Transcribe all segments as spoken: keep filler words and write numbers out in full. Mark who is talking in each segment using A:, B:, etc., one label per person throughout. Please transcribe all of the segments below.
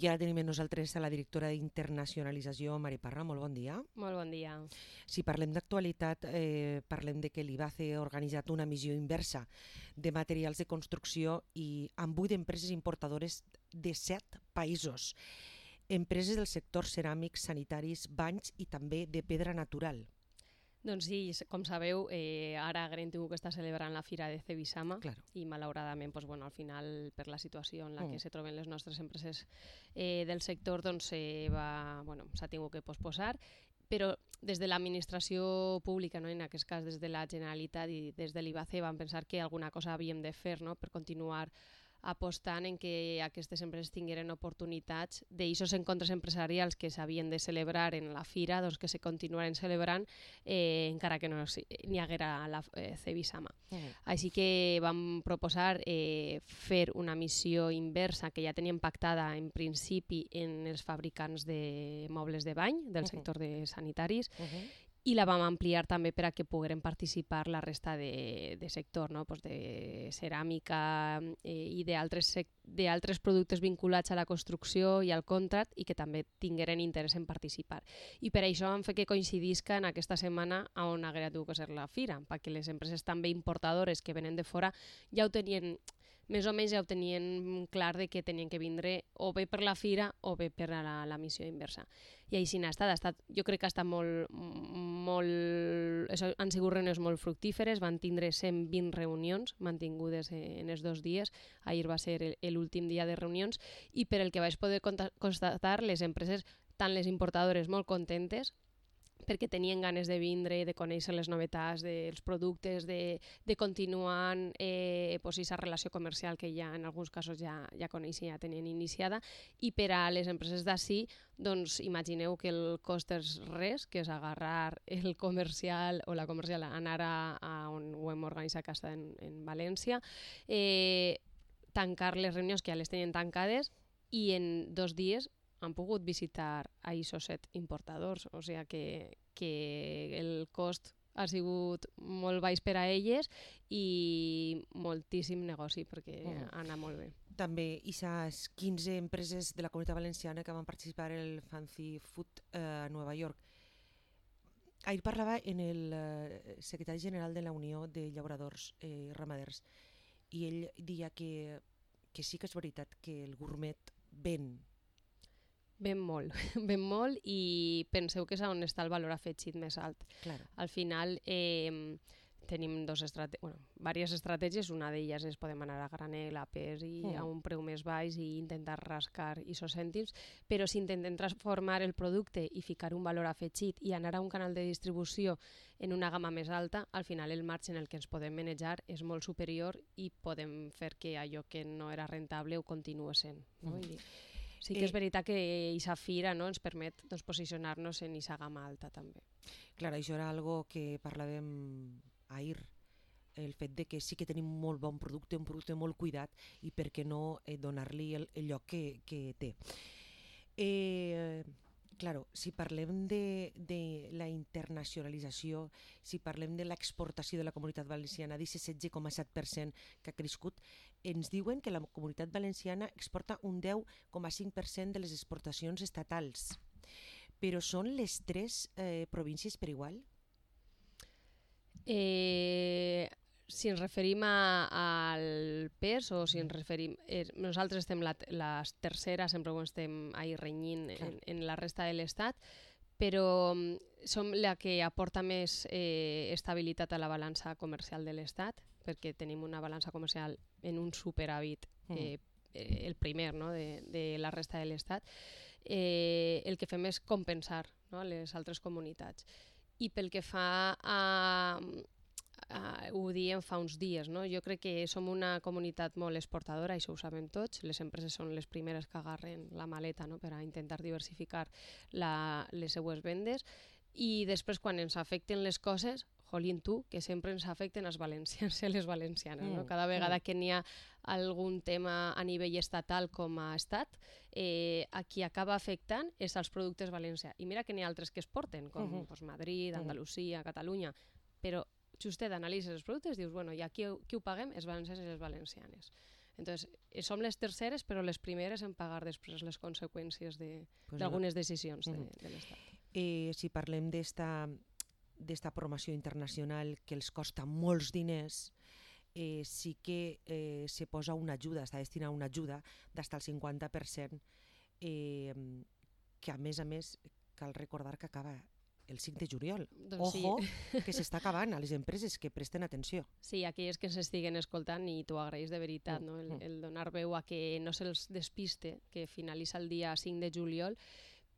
A: I ara tenim amb nosaltres a la directora d'internacionalització, Mari Parra. Molt bon dia.
B: Molt bon dia.
A: Si parlem d'actualitat, eh, parlem de que l'IBACE ha organitzat una missió inversa de materials de construcció i amb vuit empreses importadores de set països. Empreses del sector ceràmics, sanitaris, banys i també de pedra natural.
B: Doncs sí, com sabeu, eh, ara hem tingut que estar celebrant la Fira de Cebisama
A: Claro.
B: i malauradament, doncs, bueno, al final, per la situació en la
A: Mm.
B: que se troben les nostres empreses eh, del sector, doncs, eh, va, bueno, s'ha tingut que posposar, però des de l'administració pública, no, en aquest cas des de la Generalitat i des de l'IBACE, vam pensar que alguna cosa havíem de fer, no, per continuar apostant en que aquestes empreses tingueren oportunitats d'aixòs encontres empresarials que s'havien de celebrar en la fira, doncs que se continuaren celebrant eh, encara que no n'hi haguera la eh, Cebisama.
A: Mm.
B: Així que vam proposar eh, fer una missió inversa que ja teníem pactada en principi en els fabricants de mobles de bany del
A: Uh-huh.
B: sector de sanitaris,
A: Uh-huh.
B: i la vam ampliar també per a que pogueren participar la resta de, de sector, no? Pues de ceràmica eh, i d'altres productes vinculats a la construcció i al contract i que també tingueren interès en participar. I per això vam fer que coincidisca en aquesta setmana on haguera tingut que ser la fira, perquè les empreses també importadores que venen de fora ja ho tenien, més o menys ja ho tenien clar de que tenien que vindre o bé per la fira o bé per a la, la missió inversa. I així n'ha estat, ha estat, jo crec que ha estat molt, molt, això, han sigut reunions molt fructíferes, van tindre cent vint reunions mantingudes en els dos dies, ahir va ser l'últim dia de reunions, i per el que vaig poder constatar, les empreses, tant les importadores molt contentes, perquè tenien ganes de vindre, de conèixer les novetats dels productes, de, de continuar eh, pues, aquesta relació comercial que ja en alguns casos ja, ja coneixien, ja tenien iniciada, i per a les empreses d'ací, doncs imagineu que el cost és res, que és agarrar el comercial o la comercial, anar a, a on ho hem organitzat, que està en, en València, eh, tancar les reunions que ja les tenien tancades i en dos dies han pogut visitar a aquests set importadors, o sigui que, que el cost ha sigut molt baix per a elles i moltíssim negoci perquè
A: Mm.
B: ha anat molt bé.
A: També aquestes quinze empreses de la Comunitat Valenciana que van participar en el Fancy Food eh, a Nova York. Ahir parlava en el eh, secretari general de la Unió de Llauradors i eh, Ramaders i ell deia que, que sí que és veritat que el gourmet ven.
B: Ben molt, ben molt, i penseu que és on està el valor afegit més alt.
A: Claro.
B: Al final eh, tenim dos estrate bueno, diverses estratègies, una d'elles és podem anar a granel, a pes i
A: Mm.
B: a un preu més baix i intentar rascar aquests cèntims, però si intentem transformar el producte i ficar un valor afegit i anar a un canal de distribució en una gamma més alta, al final el marge en el que ens podem manejar és molt superior i podem fer que allò que no era rentable ho continuï sent. No?
A: Mm.
B: I sí que és veritat que aquesta fira, no, ens permet doncs, posicionar-nos en aquesta gamma alta també.
A: Clar, això era algo que parlàvem ahir, el fet de que sí que tenim molt bon producte, un producte molt cuidat i per què no eh, donar-li el, el lloc que, que té. Eh, claro, si parlem de, de la internacionalització, si parlem de l'exportació de la Comunitat Valenciana, d'aquest setze coma set per cent que ha crescut, ens diuen que la Comunitat Valenciana exporta un deu coma cinc per cent de les exportacions estatals. Però són les tres eh, províncies per igual?
B: Eh, si ens referim a, al pes o si ens referim... Eh, nosaltres estem la, la tercera, sempre ho estem ahí renyint en, en la resta de l'estat, però som la que aporta més eh, estabilitat a la balança comercial de l'estat, perquè tenim una balança comercial en un superàvit eh, eh, el primer, no?, de, de la resta de l'estat. Eh, el que fem és compensar, no?, les altres comunitats. I pel que fa a, a... ho diem fa uns dies, no? Jo crec que som una comunitat molt exportadora, això ho sabem tots, les empreses són les primeres que agarren la maleta, no?, per a intentar diversificar la, les seues vendes, i després quan ens afecten les coses, jolín tu, que sempre ens afecten els valencians i les valencianes, no? Cada vegada que n'hi ha algun tema a nivell estatal com a estat, eh, a qui acaba afectant és als productes valencians. I mira que n'hi ha altres que es porten, com uh -huh. pues, Madrid, Andalusia, Catalunya, però justet analitzes els productes, dius, bueno, i aquí qui ho paguem? Els valencians i les valencianes. Entonces, som les terceres, però les primeres en pagar després les conseqüències
A: Pues
B: d'algunes
A: no.
B: decisions de,
A: Mhm.
B: de l'Estat.
A: Eh, si parlem d'esta d'esta promoció internacional que els costa molts diners, eh, sí que eh, se posa una ajuda, està destinada una ajuda d'hasta el cinquanta per cent, eh, que a més a més cal recordar que acaba el cinc de juliol.
B: Doncs
A: Ojo,
B: sí.
A: que s'està acabant a les empreses, que presten atenció.
B: Sí, aquelles que s'estiguen escoltant i t'ho agraeix de veritat,
A: Mm,
B: no? el,
A: mm.
B: el donar veu a que no se'ls despiste, que finalitza el dia cinc de juliol,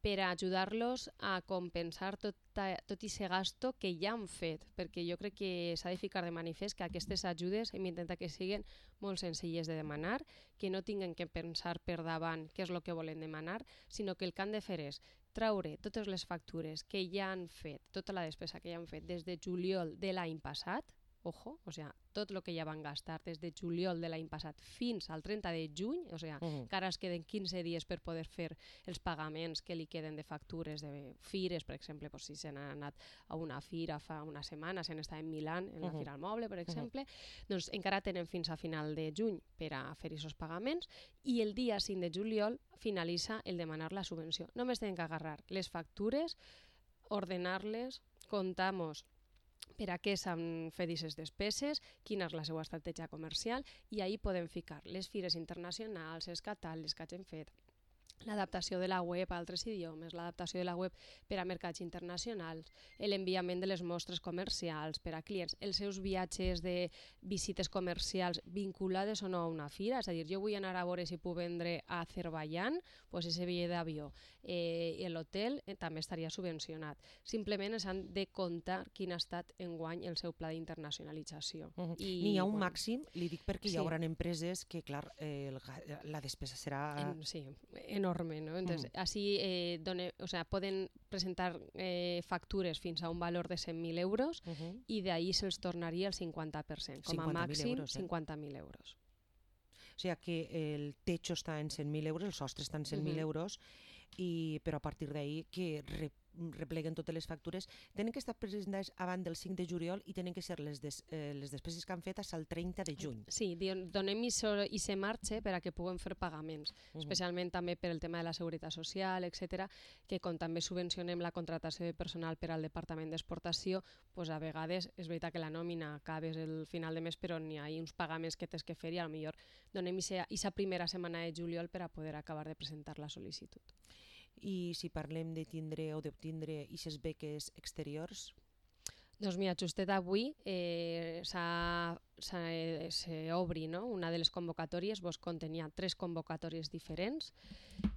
B: per a ajudar-los a compensar tot, a, tot aquest gasto que ja han fet, perquè jo crec que s'ha de ficar de manifest que aquestes ajudes hem d'intentar que siguin molt senzilles de demanar, que no tinguen que pensar per davant què és el que volen demanar, sinó que el que han de fer és traure totes les factures que ja han fet, tota la despesa que ja han fet des de juliol de l'any passat, ojo, o sea, tot el que ja van gastar des de juliol de l'any passat fins al trenta de juny, o sea,
A: Mhm.
B: que ara es queden quinze dies per poder fer els pagaments que li queden de factures de fires, per exemple, pues, si s'han anat a una fira fa una setmana, s'han estat en Milán, en la
A: Mhm.
B: Fira al Moble, per exemple, doncs encara tenen fins a final de juny per a fer aquests pagaments i el dia cinc de juliol finalitza el demanar la subvenció. Només tenen que agarrar les factures, ordenar-les, comptar-nos per a què s'han fet aquestes despeses, quina és la seva estratègia comercial, i ahir podem ficar les fires internacionals, els catàlegs que hagin fet, l'adaptació de la web a altres idiomes, l'adaptació de la web per a mercats internacionals, l'enviament de les mostres comercials per a clients, els seus viatges de visites comercials vinculades o no a una fira, és a dir, jo vull anar a veure si puc vendre a Azerbaiyán, doncs ese bitllet d'avió, eh, i l'hotel eh, també estaria subvencionat. Simplement s'han de comptar quin ha estat enguany el seu pla d'internacionalització.
A: Mhm.
B: I,
A: N'hi ha un
B: bueno,
A: màxim, li dic perquè
B: sí.
A: hi haurà empreses que, clar, eh, el ga- la despesa serà...
B: En, sí, enorme, ¿no? Entonces,
A: Mm.
B: así eh, done, o sea, pueden presentar eh, factures fins a un valor de cent mil euros
A: Mhm.
B: i d'ahí se'ls tornaria el cinquanta per cent, com a
A: cinquanta mil
B: màxim
A: euros, eh?
B: cinquanta mil euros.
A: O sigui que el techo està en cent mil euros, el sostre està en cent mil
B: Mhm.
A: euros, i, però a partir d'ahí que re, repleguen totes les factures, tenen que estar presentades abans del cinc de juliol i tenen que ser les, des, eh, les despeses que han fet fins al trenta de juny.
B: Sí, di- donem i se marxe per a que puguem fer pagaments,
A: Mhm.
B: especialment també per el tema de la seguretat social, etcètera, que com també subvencionem la contractació de personal per al Departament d'Exportació, pues a vegades és veritat que la nòmina acabes el final de mes, però n'hi ha uns pagaments que tens que fer i potser donem aquesta primera setmana de juliol per a poder acabar de presentar la sol·licitud.
A: I si parlem de tindre o d'obtindre aquestes beques exteriors,
B: Doncs mira, justet avui eh, s'obri, no? Una de les convocatòries, vos contenia tres convocatòries diferents.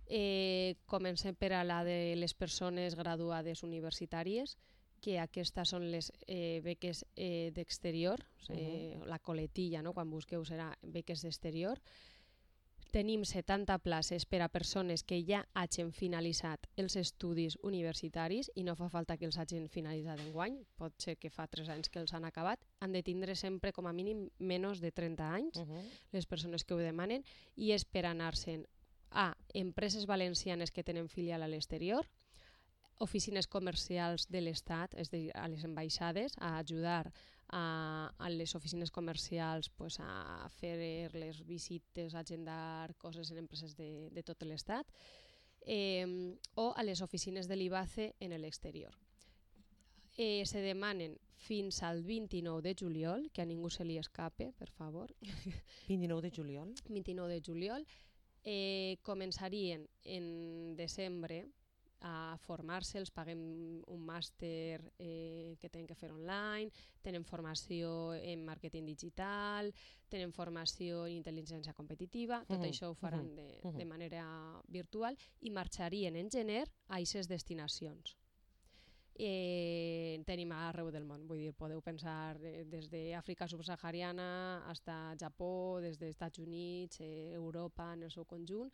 B: Eh, comencem per a la de les persones graduades universitàries, que aquestes són les eh, beques eh, d'exterior, eh, la coletilla, no? Quan busqueu serà beques d'exterior. Tenim setanta places per a persones que ja hagin finalitzat els estudis universitaris i no fa falta que els hagin finalitzat enguany, pot ser que fa tres anys que els han acabat. Han de tindre sempre com a mínim menys de trenta anys,
A: uh -huh.
B: les persones que ho demanen, i és per anar-se'n a empreses valencianes que tenen filial a l'exterior, oficines comercials de l'Estat, és a dir, a les ambaixades, a ajudar a, a les oficines comercials pues, a fer les visites, a agendar coses en empreses de, de tot l'Estat, eh, o a les oficines de l'I B A C E en l'exterior. Eh, se demanen fins al vint-i-nou de juliol, que a ningú se li escape, per favor.
A: vint-i-nou de juliol.
B: vint-i-nou de juliol. Eh, començarien en desembre a formar-se, els paguem un màster eh, que tenen que fer online, tenen formació en màrqueting digital, tenen formació en intel·ligència competitiva, tot
A: uh -huh,
B: això ho faran
A: uh -huh,
B: de,
A: uh -huh.
B: de manera virtual i marxarien en gener a aquestes destinacions. Eh, tenim arreu del món, vull dir, podeu pensar eh, des d'Àfrica subsahariana fins a Japó, des dels Estats Units, eh, Europa en el seu conjunt,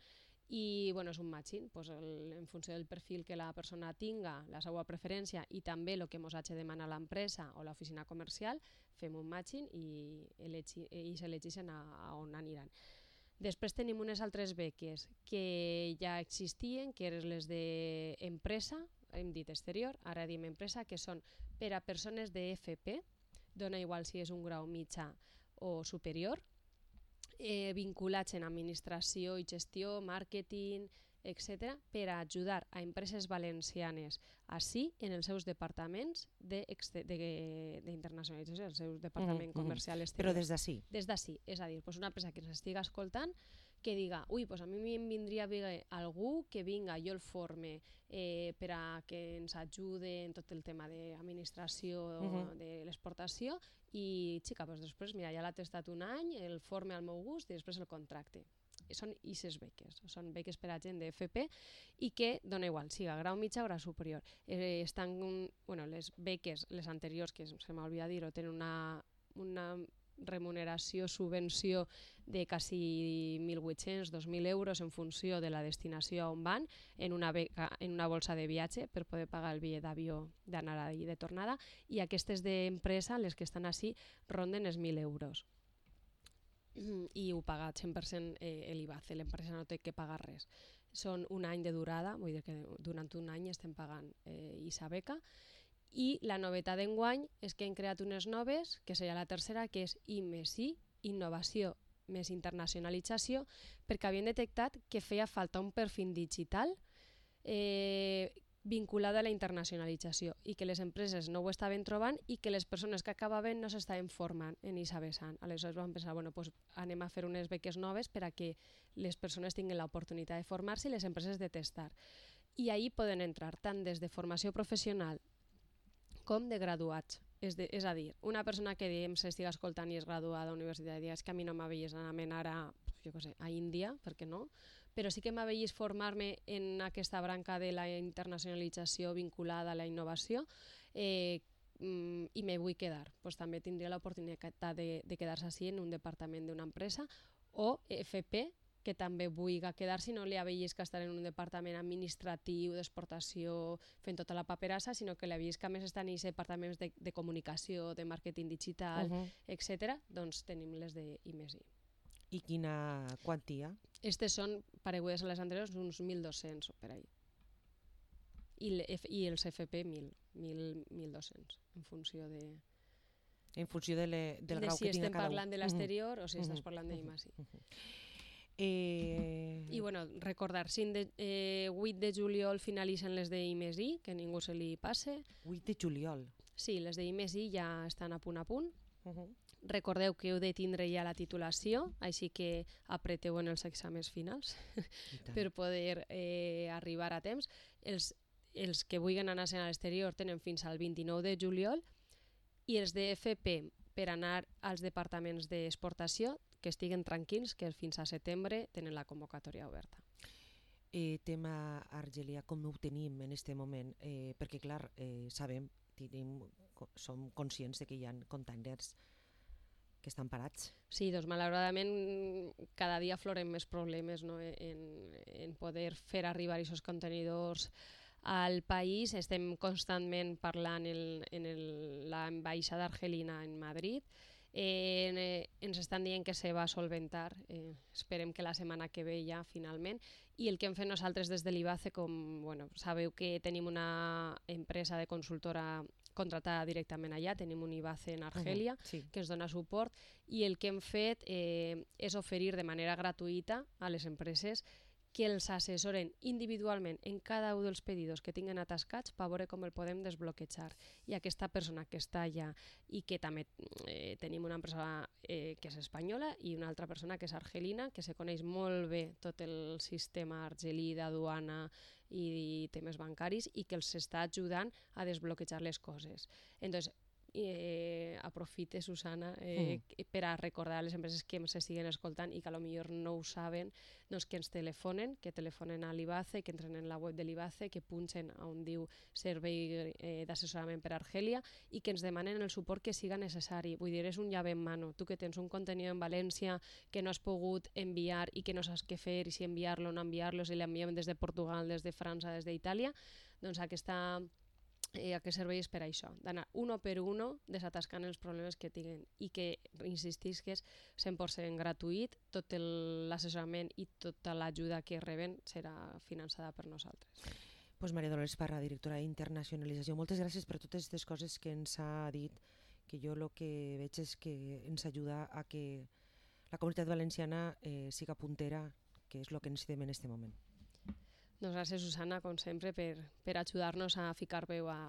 B: i bueno, és un matching, pues el, en funció del perfil que la persona tinga, la seva preferència i també el que ens hagi de demanar l'empresa o l'oficina comercial, fem un matching i, elegi, i s'elegeixen a, a on aniran. Després tenim unes altres beques que ja existien, que eren les d'empresa, hem dit exterior, ara diem empresa, que són per a persones de F P, dona igual si és un grau mitjà o superior, eh, vinculats en administració i gestió, màrqueting, etcètera, per a ajudar a empreses valencianes així en els seus departaments d'internacionalització, el seu departament
A: uh -huh,
B: comercial
A: uh -huh.
B: exterior.
A: Però des d'ací?
B: Des d'ací, és a dir, pues una empresa que ens estigui escoltant que diga, ui, pues a mi em vindria bé algú que vinga, jo el forme eh, per a que ens ajude en tot el tema d'administració uh -huh. de l'exportació i, xica, pues després, mira, ja l'ha testat un any, el forme al meu gust i després el contracte. Són ixes beques, són beques per a gent de F P i que, dona igual, siga grau mitjà o grau superior. Eh, estan, bueno, les beques, les anteriors, que se m'ha oblidat dir-ho, tenen una, una remuneració, subvenció de quasi mil vuit-cents a dos mil euros en funció de la destinació on van, en una, beca, en una bolsa de viatge per poder pagar el bitllet d'avió d'anada i de tornada, i aquestes d'empresa, les que estan així, ronden els mil euros. I ho paga cent per cent eh, l'I B A C, l'empresa no té que pagar res. Són un any de durada, vull dir que durant un any estem pagant eh, aquesta beca, i la novetat d'enguany és que hem creat unes noves, que seria la tercera, que és I més I, innovació més internacionalització, perquè havien detectat que feia falta un perfil digital eh, vinculada a la internacionalització i que les empreses no ho estaven trobant i que les persones que acabaven no s'estaven formant en aquesta vessant. Aleshores vam pensar, bueno, pues anem a fer unes beques noves per a que les persones tinguin l'oportunitat de formar-se i les empreses de testar. I ahí poden entrar tant des de formació professional com de graduats. És, de, és a dir, una persona que diem s'estiga escoltant i és graduada a la universitat i és que a mi no m'havies anar a, jo què sé, a Índia, per què no? Però sí que m'havies formar-me en aquesta branca de la internacionalització vinculada a la innovació eh, i me vull quedar. Pues també tindria l'oportunitat de, de quedar-se així en un departament d'una empresa, o F P, que també vulgui quedar-se i no li havies que estar en un departament administratiu d'exportació fent tota la paperassa, sinó que li havies que a més estar en aquests departaments de, de comunicació, de màrqueting digital, uh -huh. etcètera. Doncs tenim les de I més I.
A: I quina quantia?
B: Estes són, paregudes a les anteriors, uns mil dos-cents per ahí. I, i els F P mil, mil dos-cents, en funció de...
A: En funció de le, del
B: de
A: grau
B: si
A: que tinga
B: estem
A: cada un.
B: parlant de l'exterior uh -huh. o si uh -huh. estàs parlant de I més I. Uh -huh. Eh... I bueno, recordar, cinc de, eh, vuit de juliol finalitzen les de I més I, que ningú se li passe.
A: vuit de juliol?
B: Sí, les de I més I ja estan a punt a punt.
A: Uh -huh.
B: Recordeu que heu de tindre ja la titulació, així que apreteu en els exàmens finals per poder eh, arribar a temps. Els, els que vulguin anar a l'exterior tenen fins al vint-i-nou de juliol i els de F P per anar als departaments d'exportació que estiguen tranquils, que fins a setembre tenen la convocatòria oberta.
A: Eh, tema Argelia, com ho tenim en aquest moment? Eh, perquè, clar, eh, sabem, tenim, som conscients de que hi ha containers que estan parats.
B: Sí, doncs malauradament cada dia afloren més problemes, no? en, en poder fer arribar aquests contenidors al país. Estem constantment parlant en, en l'ambaixada argelina en Madrid. Eh, eh, ens estan dient que se va solventar, eh, esperem que la setmana que ve ja finalment, i el que hem fet nosaltres des de l'I B A C, com bueno, sabeu que tenim una empresa de consultora contratada directament allà, tenim un I B A C en Argelia uh -huh, sí. que ens dona suport, i el que hem fet eh, és oferir de manera gratuïta a les empreses que els assessoren individualment en cada un dels pedidos que tinguen atascats per veure com el podem desbloquejar. I aquesta persona que està allà, i que també eh, tenim una empresa eh, que és espanyola i una altra persona que és argelina, que se coneix molt bé tot el sistema argelí d'aduana i, i temes bancaris, i que els està ajudant a desbloquejar les coses. Entonces, Eh, aprofite, Susana, eh, mm. per a recordar a les empreses que ens estiguen escoltant i que potser no ho saben, doncs que ens telefonen, que telefonen a l'I B A C, que entren en la web de l'I B A C, que punxen on diu Servei eh, d'assessorament per a Argelia i que ens demanen el suport que siga necessari. Vull dir, és un llave en mano. Tu que tens un contenidor en València que no has pogut enviar i que no saps què fer, i si enviar-lo o no enviar-lo, si l'enviem des de Portugal, des de França, des d'Itàlia, doncs aquesta... Eh, a què serveix per això, d'anar uno per uno desatascant els problemes que tinguen, i que, insistís, que és cent per cent gratuït, tot l'assessorament i tota l'ajuda que reben serà finançada per nosaltres.
A: Pues Maria Dolors Parra, directora d'Internacionalització, moltes gràcies per totes aquestes coses que ens ha dit, que jo el que veig és que ens ajuda a que la comunitat valenciana eh, siga puntera, que és el que necessitem en aquest moment.
B: Doncs gràcies, Susana, com sempre, per, per ajudar-nos a ficar veu a,